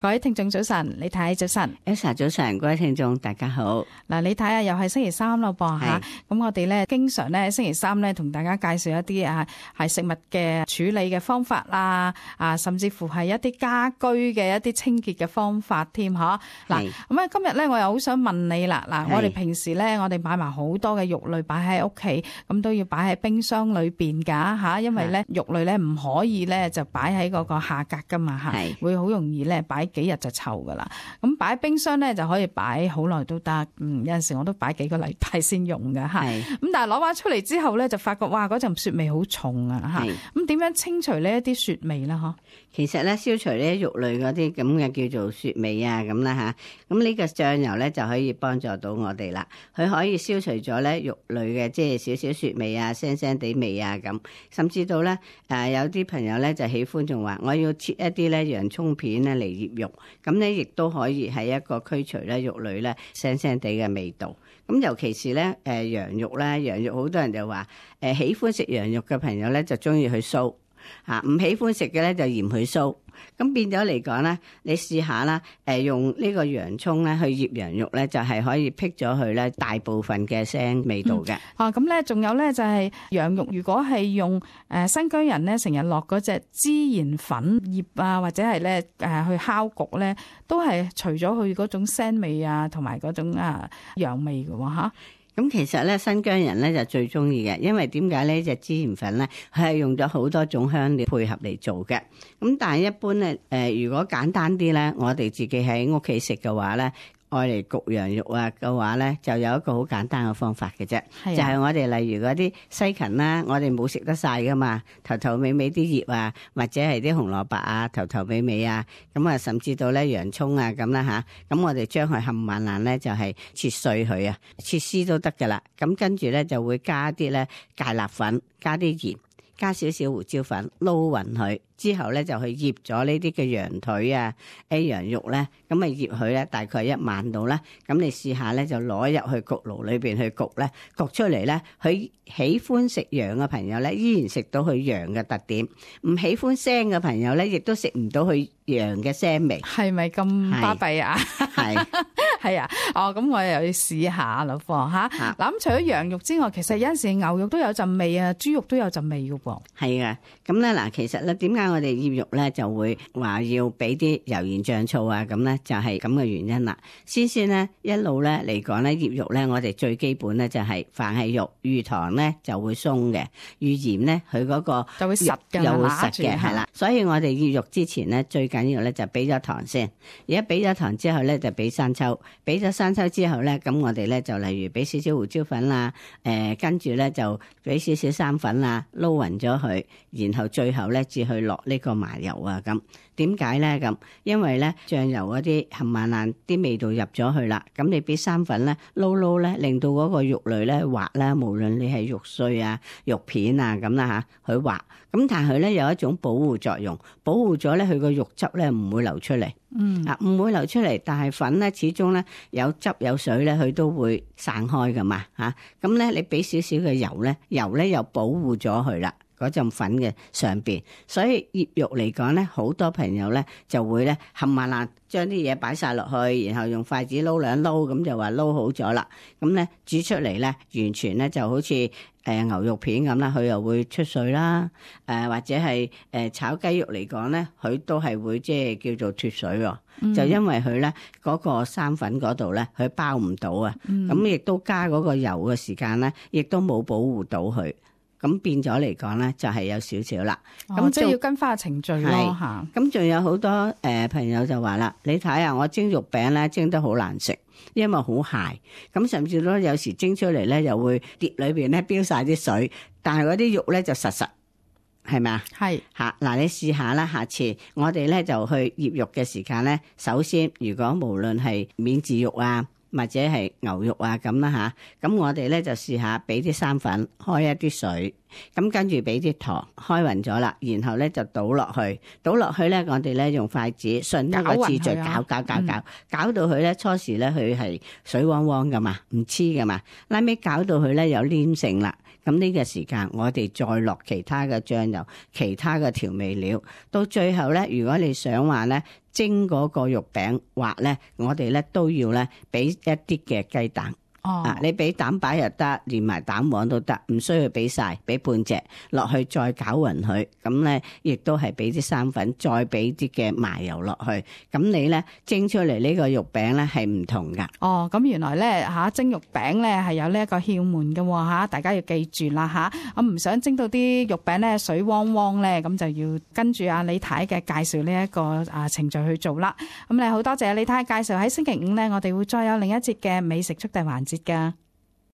各位聽眾早晨，李太早晨 Elsa 早晨，各位聽眾大家好。嗱，李太啊，又係星期三咯噃吓，咁我哋咧經常咧星期三咧同大家介紹一啲係食物嘅處理嘅方法啦，甚至乎係一啲家居嘅一啲清潔嘅方法添吓。嗱，咁啊今日咧我又好想問你啦，嗱，我哋平時咧我哋買埋好多嘅肉類擺喺屋企，咁都要擺喺冰箱裏邊噶吓，因為咧肉類咧唔可以咧就擺喺嗰個下格噶嘛吓，會好容易咧擺幾日就臭噶啦。咁擺冰箱咧就可以擺好耐都得，有陣時我都擺幾個禮拜先用噶吓。咁但係攞翻出嚟之後咧，就發覺哇嗰陣雪味好重啊吓。咁點樣清除呢一啲雪味啦？嗬，其實咧消除呢啲肉類嗰啲咁嘅叫做雪味啊咁啦吓。咁呢個醬油咧就可以幫助到我哋啦。佢可以消除咗咧肉類嘅即係少少雪味啊、腥腥地味啊咁。甚至到咧有啲朋友咧就喜歡仲話我要切一啲咧洋葱片咧嚟醃肉。咁咧亦都可以係一個驅除咧肉類咧腥腥地嘅味道。咁尤其是咧羊肉咧，羊肉好多人就話喜歡食羊肉嘅朋友咧就中意去酥嚇，唔喜歡食嘅咧就嫌佢酥。咁變咗嚟講咧，你試下啦，用呢個洋葱咧去醃羊肉咧，就係可以辟咗佢咧大部分嘅腥味道嘅。咁咧仲有咧就係羊肉，如果係用新疆人咧成日落嗰隻孜然粉醃啊，或者係咧去烤焗咧，都係除咗佢嗰種腥味啊，同埋嗰種羊味嘅喎嚇。咁其實咧，新疆人咧就最中意嘅，因為點解呢隻孜然粉咧，佢係用咗好多種香料配合嚟做嘅。咁但係一般咧，如果簡單啲咧，我哋自己喺屋企食嘅話咧，愛嚟焗羊肉啊嘅話咧，就有一個好簡單嘅方法嘅啫，就係我哋例如嗰啲西芹啦，我哋冇食得晒噶嘛，頭頭尾尾啲葉啊，或者係啲紅蘿蔔啊，頭頭尾尾啊，咁啊甚至到咧洋葱啊咁啦吓，咁我哋將佢冚唪唥咧就係切碎佢啊，切絲都得噶啦，咁跟住咧就會加啲咧芥辣粉，加啲鹽，加少少胡椒粉，撈勻佢。之後咧就去醃咗呢啲嘅羊腿啊、羊肉咧，咁啊醃佢咧大概1晚到啦。咁你試下咧就攞入去焗爐裏邊去焗咧，焗出嚟咧，佢喜歡食羊嘅朋友咧依然食到佢羊嘅特點，唔喜歡腥嘅朋友咧亦都食唔到佢羊嘅腥味。係咪咁巴閉啊？係係啊，咁我又要試下咯噃嚇。嗱咁除咗羊肉之外，其實有陣時牛肉都有陣味啊，豬肉都有陣味嘅噃。係啊，咁咧嗱，其實咧點解我哋醃肉咧就會話要俾啲油鹽醬醋啊？咁咧就係咁嘅原因啦。先咧一路咧嚟講咧醃肉咧，我哋最基本咧就係凡係肉遇糖咧就會鬆嘅，遇鹽咧佢嗰個就會實嘅，又會實嘅，係啦。所以我哋醃肉之前咧最緊要咧就俾咗糖先。而家俾咗糖之後咧就俾生抽，俾咗生抽之後咧，咁我哋咧就例如俾少少胡椒粉啦，跟住咧就俾少少生粉啦，撈勻咗佢，然後最後咧至去落呢個麻油啊咁。點解咧咁？因為咧醬油嗰啲冚唪唥啲味道入咗去啦，咁你俾生粉咧撈咧，令到嗰個肉類咧滑啦，無論你係肉碎啊、肉片啊咁啦嚇，佢滑。咁但係佢咧有一種保護作用，保護咗咧佢個肉汁咧唔會流出嚟。唔會流出嚟，但係粉咧始終咧有汁有水咧，佢都會散開噶嘛嚇。咁咧你俾少少嘅油咧，油咧又保護咗佢啦。嗰陣粉嘅上邊，所以醃肉嚟講咧，好多朋友咧就會咧冚唪唥將啲嘢擺晒落去，然後用筷子撈兩撈，咁就話撈好咗啦。咁咧煮出嚟咧，完全咧就好似牛肉片咁啦，佢又會出水啦。或者係炒雞肉嚟講咧，佢都係會即係叫做脫水喎。就因為佢咧嗰個生粉嗰度咧，佢包唔到啊。咁亦都加嗰個油嘅時間咧，亦都冇保護到佢。咁變咗嚟講咧，就係有少少啦。咁即係要跟翻個程序咯嚇。咁仲有好多朋友就話啦，你睇下我蒸肉餅咧蒸得好難食，因為好鞋。咁甚至都有時蒸出嚟咧，又會碟裏邊咧飆晒啲水，但係嗰啲肉咧就實實，係咪啊？係嚇嗱，你試下啦，下次我哋咧就去醃肉嘅時間咧，首先如果無論係免治肉啊，或者係牛肉啊咁啦吓，咁我哋咧就試下俾啲生粉開一啲水，咁跟住俾啲糖開勻咗啦，然後咧就倒落去咧，我哋咧用筷子順一個次序攪到佢咧，初時咧佢係水汪汪噶嘛，唔黐噶嘛，拉尾攪到佢咧有黏性啦。咁呢個時間我哋再落其他嘅醬油、其他嘅調味料，到最後咧，如果你想話咧蒸嗰個肉餅滑咧，我哋咧都要咧俾一啲嘅雞蛋。你俾蛋白又得，連埋蛋黃都得，唔需要俾晒，俾半隻落去再攪勻佢。咁咧亦都係俾啲生粉，再俾啲嘅麻油落去。咁你咧蒸出嚟呢個肉餅咧係唔同噶。咁原來咧蒸肉餅咧係有呢一個竅門嘅大家要記住啦我唔想蒸到啲肉餅咧水汪汪咧，咁就要跟住李太嘅介紹呢一個程序去做啦。咁你好多謝李太介紹，喺星期五咧我哋會再有另一節嘅美食速遞環節噶。